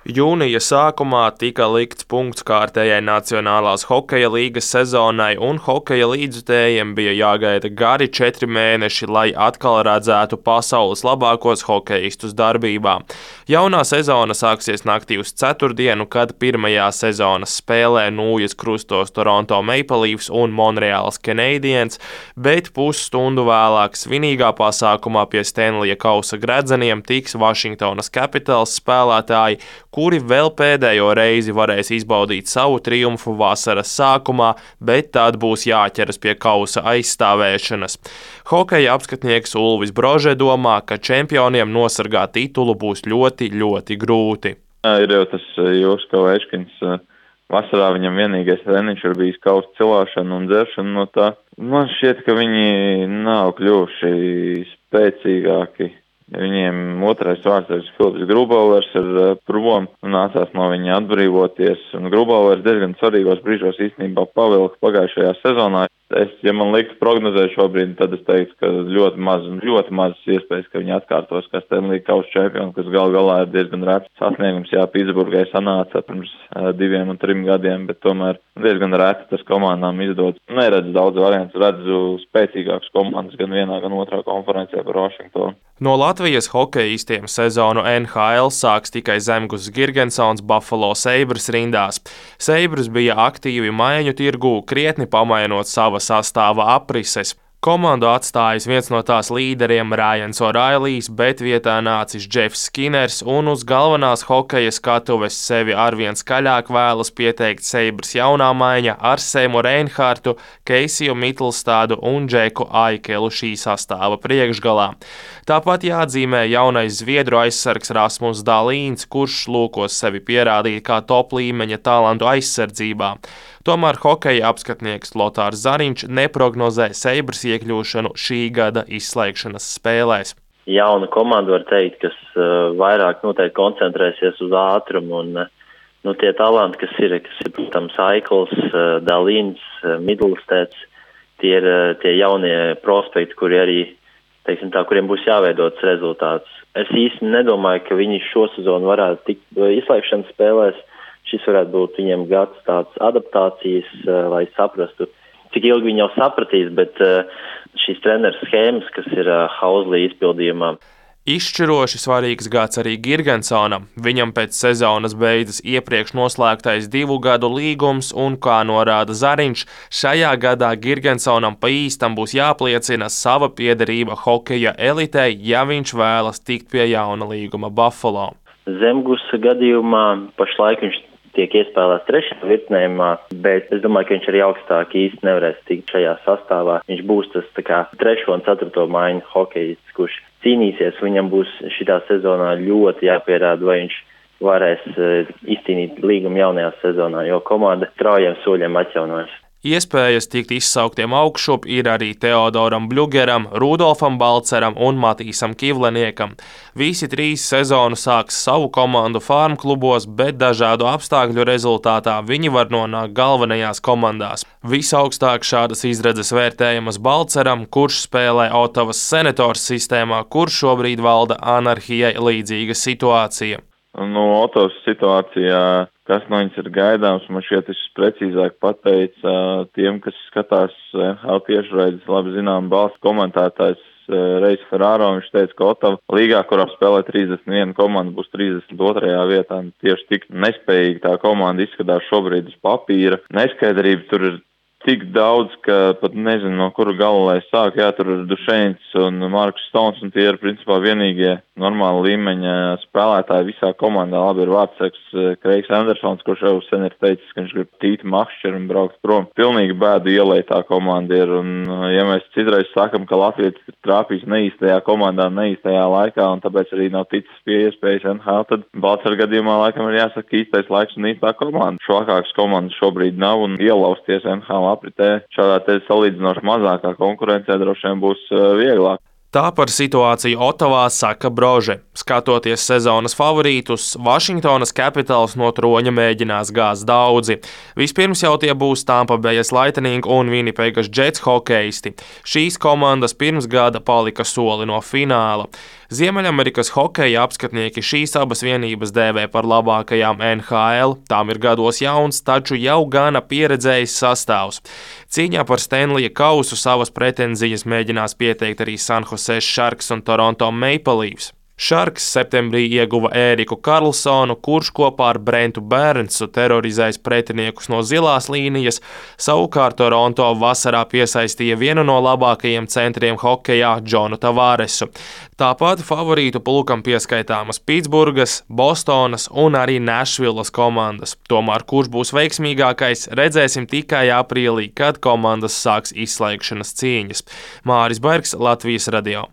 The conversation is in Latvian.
Jūnija sākumā tika likts punkts kārtējai Nacionālās hokeja līgas sezonai, un hokeja līdzjutējiem bija jāgaida gari 4 mēneši, lai atkal redzētu pasaules labākos hokejistus darbībā. Jaunā sezona sāksies naktī uz ceturtdienu, kad pirmajā sezonas spēlē Nūjas krustos Toronto Maple Leafs un Montreals Canadiens, bet pusstundu vēlāk svinīgā pasākumā pie Stanleya kausa gredzeniem tiks Washingtonas Capitals spēlētāji, kuri vēl pēdējo reizi varēs izbaudīt savu triumfu vasaras sākumā, bet tad būs jāķeras pie kausa aizstāvēšanas. Hokeja apskatnieks Ulvis Brože domā, ka čempioniem nosargāt titulu būs ļoti, ļoti grūti. Ir jau tas Josko Večkins. Vasarā viņam vienīgais treniņš ir bijis kausa cilāšana un dzeršana no tā. Man šķiet, ka viņi nav kļuvuši spēcīgāki. Viņiem otrais vārds ir Filips Grubauers ir prom un nācās no viņa atbrīvoties. Un Grubauers diezgan svarīgos brīžos īstenībā pavilka pagājušajā sezonā. Ja man liktu prognozēt šobrīd, tad es teiktu, ka ļoti mazas iespējas, ka viņi atkārtos, kā Stanley kausa čempioni, kas galā ir diezgan rēts sasniegums. Jā, Pitsburgai sanāca pirms 2 un 3 gadiem, bet tomēr diezgan rēts tas komandām izdodas. Neredzu daudz variantu, redzu spēcīgākas komandas gan vienā, gan otrā konferencē par Washingtonu. No Latvijas hokejistiem sezonu NHL sāks tikai Zemgus Girgensons Buffalo Sabres rindās. Sabres bija aktīvi maiņu tirgū, krietni pamainot sava sastāva aprises. Komandu atstājis viens no tās līderiem Ryans O'Reillys, bet vietā nācis Jeffs Skinners, un uz galvenās hokeja skatuves sevi arvien skaļāk vēlas pieteikt Sabres jaunā maiņa ar Seimu Reinhartu, Keisiju Mittelstādu un Džeku Aikelu šī sastāva priekšgalā. Tāpat jāatzīmē jaunais zviedru aizsargs Rasmus Dalīns, kurš lūkos sevi pierādīt kā top līmeņa talantu aizsardzībā. Tomēr hokeja apskatnieks Lotārs Zariņš neprognozē Sabres iekļūšanu šī gada izslēgšanas spēlēs. Jauna komanda var teikt, kas vairāk noteikti koncentrēsies uz ātrumu un tie talanti, kas ir, protams, Aikls, Dalīns, Midlsteds, tie ir tie jaunie prospekti, kuri arī, teiksim tā, kuriem būs jāveidots rezultāts. Es īsti nedomāju, ka viņi šo sezonu varētu tikt izslēgšanas spēlēs. Šis varētu būt viņiem gads tāds adaptācijas, lai saprastu, cik ilgi viņi jau sapratīs, bet šīs treneru schēmas, kas ir Hauslī izpildījumā. Izšķiroši svarīgs gads arī Girgensonam. Viņam pēc sezonas beidzas iepriekš noslēgtais 2 gadu līgums, un, kā norāda Zariņš, šajā gadā Girgensonam pa īstam būs jāpliecina sava piederība hokeja elitei, ja viņš vēlas tikt pie jauna līguma Buffalo. Zemgusa gadījumā pašlaik viņš tiek iespēlēts 3. vietnējumā, bet es domāju, ka viņš arī augstāk īsti nevarēs tikt šajā sastāvā. Viņš būs tas tā kā 3. un 4. maiņu hokejists, kurš cīnīsies. Viņam būs šitā sezonā ļoti jāpierāda, vai viņš varēs izcīnīt līgumu jaunajā sezonā, jo komanda traujiem soļiem atjaunojas. Iespējas tikt izsauktiem augšup ir arī Teodoram Bļugeram, Rudolfam Balceram un Matīsam Kivleniekam. Visi 3 sezonu sāks savu komandu farm klubos, bet dažādu apstākļu rezultātā viņi var nonākt galvenajās komandās. Visaugstāk šādas izredzes vērtējamas Balceram, kurš spēlē Ottavas Senators sistēmā, kur šobrīd valda anarhijai līdzīga situācija. Ottavas situācijā, kas no viņas ir gaidāms, man šķiet, es precīzāk pateicu tiem, kas skatās NHL tiešraides, labi zinām balsts komentētājs Reis Ferraro. Viņš teica, ka Ottava līgā, kurā spēlē 31 komanda, būs 32. vietā. Tieši tik nespējīgi tā komanda izskatās šobrīd uz papīra. Neskaidrība tur ir tik daudz, ka pat nezinu, no kura gala lai sāk. Jā, tur ir Dušeins un Marks Stons, un tie ir principā vienīgie normāli līmeņa spēlētāji visā komandā. Labi ir vārdsargs Kreigs Andersons, kurš jau sen ir teicis, ka viņš grib tīt makšķeru un braukt prom. Pilnīgi bēdu ielai tā komanda ir, un ja mēs citreiz sakam, ka Latvijas ir trāpījis neīstajā komandā, neīstajā laikā, un tāpēc arī nav ticis pie iespējas NHL, tad Balcer gadījumā laikam ir jāsaka īstais laiks un īstā komanda. Švakākas komandas šobrīd nav, un ielausties NHL apritē šādā te salīdzinoši mazākā konkurencē droši vien būs vieglāk. Tā par situāciju Ottavā saka Brože. Skatoties sezonas favorītus, Washingtonas Capitals no troņa mēģinās gāzt daudzi. Vispirms jau tie būs Tampa Bay Lightning un Winnipegas Jets hokejisti. Šīs komandas pirms gada palika soli no fināla. Ziemeļamerikas hokeja apskatnieki šīs abas vienības dēvē par labākajām NHL. Tām ir gados jauns, taču jau gana pieredzējis sastāvs. Cīņā par Stanleya kausu savas pretenzijas mēģinās pieteikt arī San Jose Sharks un Toronto Maple Leafs. Sharks septembrī ieguva Ēriku Karlsonu, kurš kopā ar Brentu Bērnsu terorizēs pretiniekus no zilās līnijas, savukārt Toronto vasarā piesaistīja vienu no labākajiem centriem hokejā Džonu Tavaresu. Tāpat favorītu pulkam pieskaitāmas Pitsburgas, Bostonas un arī Nešvilas komandas. Tomēr kurš būs veiksmīgākais, redzēsim tikai aprīlī, kad komandas sāks izslēgšanas cīņas. Māris Bergs, Latvijas radio.